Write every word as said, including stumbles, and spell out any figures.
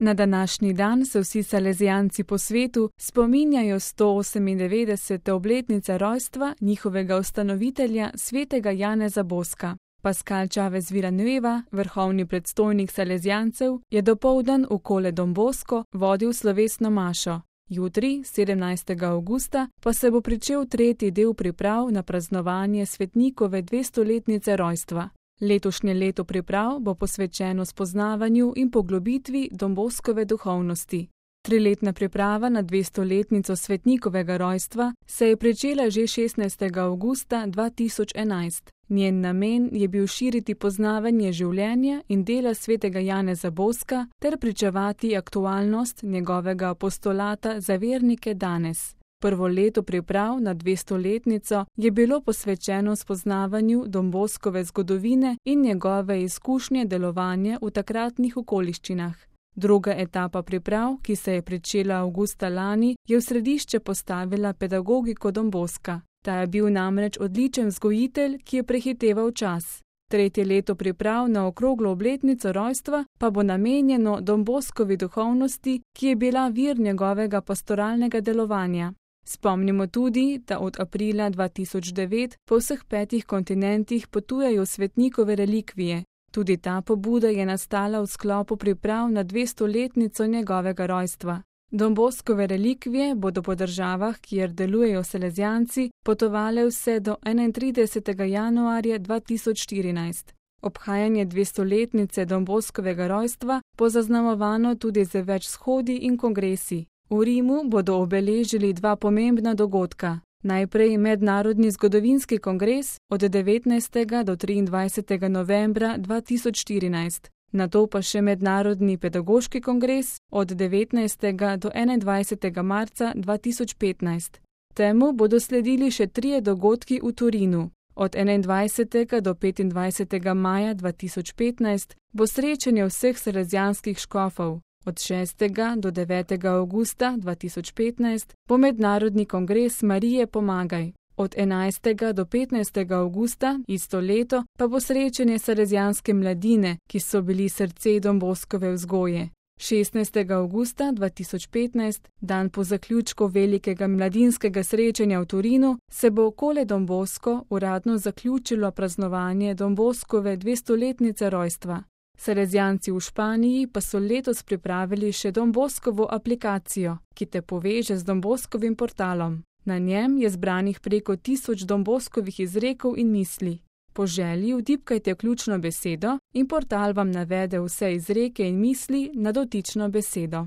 Na današnji dan se vsi salezijanci po svetu spominjajo sto osemindevetdesete obletnice rojstva njihovega ustanovitelja svetega Janeza Boska. Pascal Chavez Villanueva, vrhovni predstojnik salezijancev, je dopoldan v Cole Don Bosco vodil slovesno mašo. Jutri, sedemnajstega avgusta, pa se bo pričel tretji del priprav na praznovanje svetnikove dvestoletnice rojstva. Letošnje leto priprav bo posvečeno spoznavanju in poglobitvi Don Boskove duhovnosti. Triletna priprava na dvestoletnico svetnikovega rojstva se je pričela že šestnajstega avgusta dva tisoč enajst. Njen namen je bil širiti poznavanje življenja in dela svetega Janeza Boska ter pričevati aktualnost njegovega apostolata za vernike danes. Prvo leto priprav na dvestoletnico je bilo posvečeno spoznavanju Don Boskove zgodovine in njegove izkušnje delovanja v takratnih okoliščinah. Druga etapa priprav, ki se je pričela avgusta lani, je v središče postavila pedagogiko Don Boska. Ta je bil namreč odličen vzgojitelj, ki je prehiteval čas. Tretje leto priprav na okroglo obletnico rojstva pa bo namenjeno Don Boskovi duhovnosti, ki je bila vir njegovega pastoralnega delovanja. Spomnimo tudi, da od aprila dva tisoč devet po vseh petih kontinentih potujejo svetnikove relikvije. Tudi ta pobuda je nastala v sklopu priprav na dvestoletnico njegovega rojstva. Don Boskove relikvije bodo po državah, kjer delujejo salezijanci, potovale vse do enaintridesetega januarja dva tisoč štirinajst. Obhajanje dvestoletnice Don Boskovega rojstva bo zaznamovano tudi z več shodi in kongresi. V Rimu bodo obeležili dva pomembna dogodka. Najprej Mednarodni zgodovinski kongres od devetnajstega do triindvajsetega novembra dva tisoč štirinajst, nato pa še Mednarodni pedagoški kongres od devetnajstega do enaindvajsetega marca dva tisoč petnajst. Temu bodo sledili še trije dogodki v Torinu. Od enaindvajsetega do petindvajsetega maja dva tisoč petnajst bo srečanje vseh salezijanskih škofov. Od šestega do devetega avgusta dva tisoč petnajst bo Mednarodni kongres Marije Pomagaj. Od enajstega do petnajstega avgusta isto leto pa bo srečanje salezijanske mladine, ki so bili srce Don Boskove vzgoje. šestnajstega avgusta dva tisoč petnajst, dan po zaključku velikega mladinskega srečanja v Torinu, se bo v Cole Don Bosco uradno zaključilo praznovanje Don Boskove dvestoletnice rojstva. Salezijanci v Španiji pa so letos pripravili še Don Boskovo aplikacijo, ki te poveže z Don Boskovim portalom. Na njem je zbranih preko tisoč Don Boskovih izrekov in misli. Po želji vtipkajte ključno besedo in portal vam navede vse izreke in misli na dotično besedo.